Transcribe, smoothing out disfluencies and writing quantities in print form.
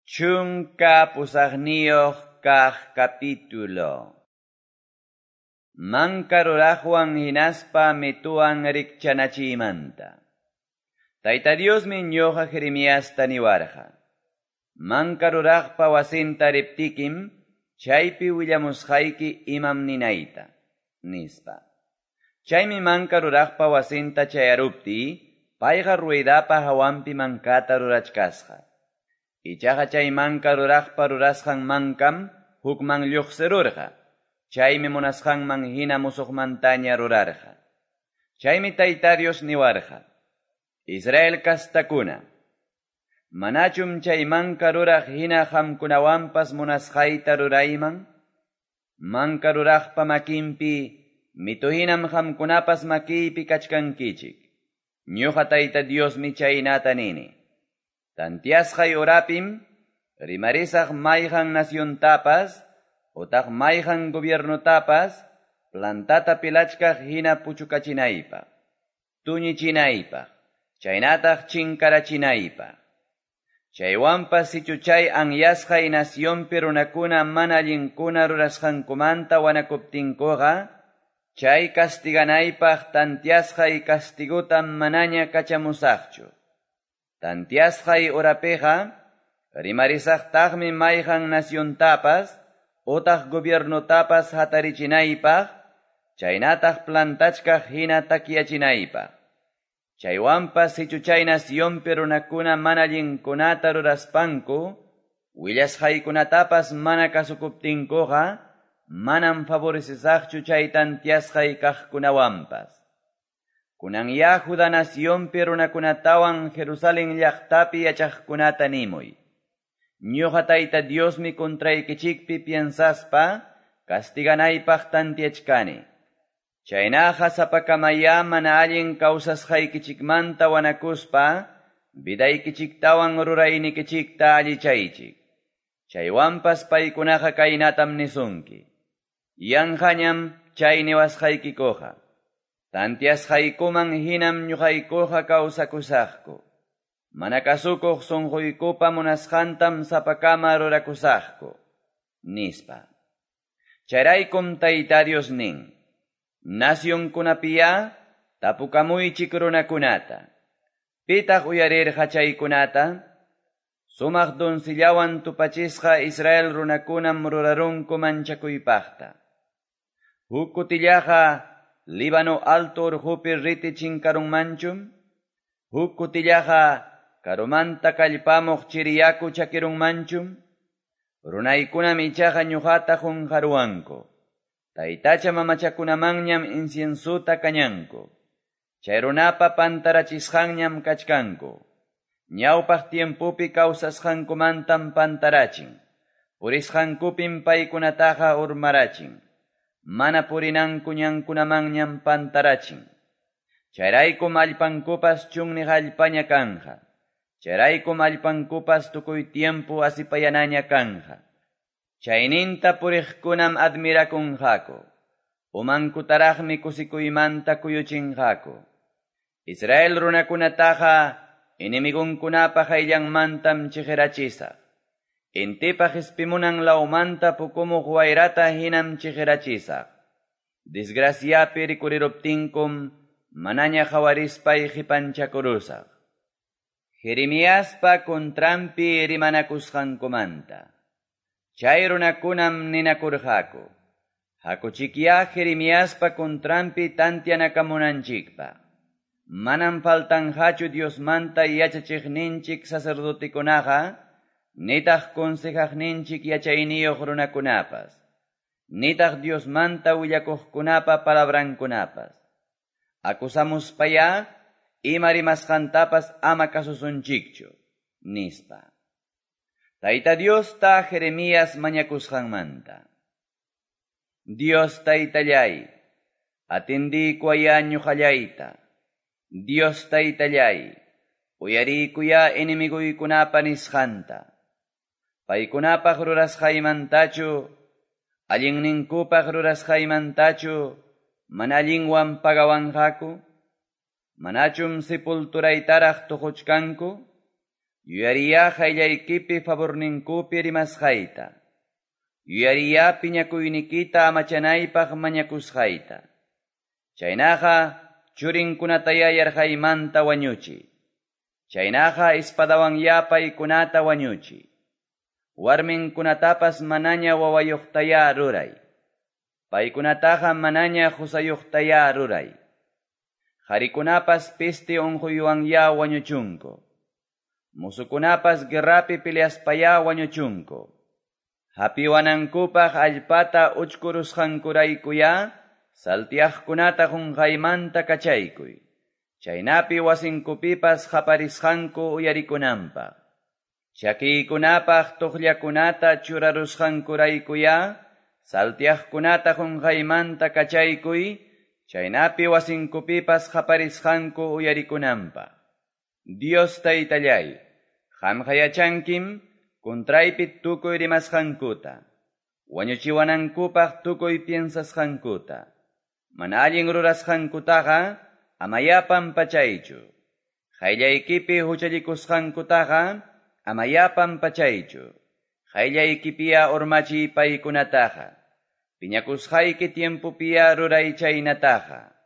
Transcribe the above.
18 kaq capítulo. Manka ruraqwan hinaspa mituwan rikchanachiymanta. Tayta Diosmi ñuqa Jeremiasta niwarqa. Manka ruraqpa wasinta riptikim, chaypi willamusqayki imam ninayta, nispa. Chaymi manka ruraqpa wasinta chayaruptiy, payqa ruedapa hawanpi mankata rurachkasqa. Ichaqa chay manka ruraqpa rurasqan mankam hukman lluqsirurqa. Chaymi munasqanman hina musuqmantaña rurarqa. Chaymi Tayta Dios niwarqa: Israel kastakuna, manachum chay manka ruraq hina qamkunawanpas munasqayta rurayman? Manka ruraqpa makinpi mitu hinam qamkunapas makiypi kachkankichik. Ñuqa Tayta Diosmi chaynata nini. Tantiasqay horapim rimarisaq mayqan naciontapas utaq mayqan gobiernotapas plantata pilachkaq hina puchukachinaypaq, tuñichinaypaq, chaynataq chinkarachinaypaq. Chaywanpas sichu chay anyasqay nacionpi runakuna mana allinkuna rurasqankumanta wanakuptinkuqa, chay castiganaypaq tantiasqay castigutam manaña kachamusaqchu. Tantiasqay horapiqa rimarisaqtaqmi mayqan naciontapas utaq gobiernotapas hatarichinaypaq, chaynataq plantachkaq hina takyachinaypaq. Chaywanpas sichu chay nacionpi runakuna mana allinkunata ruraspanku, willasqaykunatapas mana kasukuptinkuqa, manam favorecesaqchu chay tantiasqay kaqkunawanpas. Kunanya Judá nacionpi runakunatawan Jerusalén llaqtapi yachaqkunata nimuy. Ñuqa Tayta Diosmi contraykichikpi piensaspa castiganaypaq tantiachkani. Chaynaqa sapakamaya mana allin kawsasqaykichikmanta wanakuspa vidaykichiktawan ruraynikichikta allichaychik. Chaywanpas paykunaqa kaynatam nisunki. Yanqañam chay niwasqaykikuqa. Tantiasqaykuman hinam ñuqaykuqa kawsakusaqku. Mana kasukuq sunquykupa munasqantam sapakama rurakusaqku, nispa. Chayraykum Tayta Dios nin: Nacionkunapiya tapukamuychik runakunata. Pitaq uyarirqa chaykunata? Sumaq doncellawan tupachisqa Israel runakunam rurarunku manchakuypaqta. Huk kutillaqa Líbano alto urqupi riti chinkarunmanchum? Huk kutillaqa karumanta kallpamuq chiriyaku chakirunmanchum? Runaykunam ichaqa ñuqata qunqaruwanku. Taytacha mamachakunamanñam inciensuta kañanku. Chay runapa pantarachisqanñam kachkanku. Ñawpaq tiempopi kawsasqankumantam pantarachin. Purisqankupim paykunataqa urmarachin. Mana purinanku ñankunamanñam pantarachin. Chayraykum allpankupas chunniq allpaña kanja. Chayraykum allpankupas tukuy tiempo asipayanaña kanja. Chayninta puriqkunam admirakunqaku. Umankutaraqmi kusikuymanta kuyuchinqaku. Israel runakunataqa enemigunkunapa qayllanmantam chiqirachisaq. Intipa qispimunan lawmanta pukumuq wayrata hinam chiqirachisaq. Desgraciapi rikuriruptinkum manaña qhawarispay qipanchakurusaq. Jeremiaspa contranpi rimanakusqankumanta. Chay runakunam ninakurqaku: Hakuchikya Jeremiaspa contranpi tantianakamunanchikpaq. Manam faltanqachu Diosmanta yachachiqninchik sacerdotekunaqa, nitaq consejaqninchik yachayniyuq runakunapas, nitaq Diosmanta willakuqkunapa palabrankunapas. Acusamuspaya ima rimasqantapas ama kasusunchikchu, nispa. Tayta Diosta Jeremías mañakusqanmanta. Dios Taytallay, atendiykuwaya ñuqallayta. Dios Taytallay, uyariykuya enemiguykunapa nisqanta. Paykunapaq rurasqaymantachu, allinninkupaq rurasqaymantachu, mana allinwan pagawanqaku? Manachum sepulturaytaraq tuquchkanku? Yuyariyá qayllaykipi favorninkupi rimasqayta. Yuyariyá piñakuynikita amachanaypaq mañakusqayta. Chaynaqa churinkunatayá yarqaymanta wañuchiy. Chaynaqa espadawanyá paykunata wañuchiy. Warminkunatapas manaña wawayuqtayá ruray. Paykunataqa manaña qusayuqtayá ruray. Qarikunapas peste unquywanyá wañuchunku. Musukunapas guerrapi peleaspayá wañuchunku. Hapiwanankupaq allpata uchkurusqankuraykuyá saltiaqkunata qunqaymanta kachaykuy. Chaynapi wasinkupipas qaparisqanku uyarikunanpaq. Chakiykunapaq tuqllakunata churarusqankuraykuyá saltiaqkunata qunqaymanta kachaykuy, chaynapi wasinkupipas qaparisqanku uyarikunanpaq. Dios taytallay, qamqa yachankim contraypi tukuy rimasqankuta, wañuchiwanankupaq tukuy piensasqankuta. Mana allin rurasqankutaqa amayá pampachaychu. Qayllaykipi huchallikusqankutaqa amayá pampachaychu. Qayllaykipiya urmachiy paykunataqa. Piñakusqayki tiempopiya ruray chaynataqa.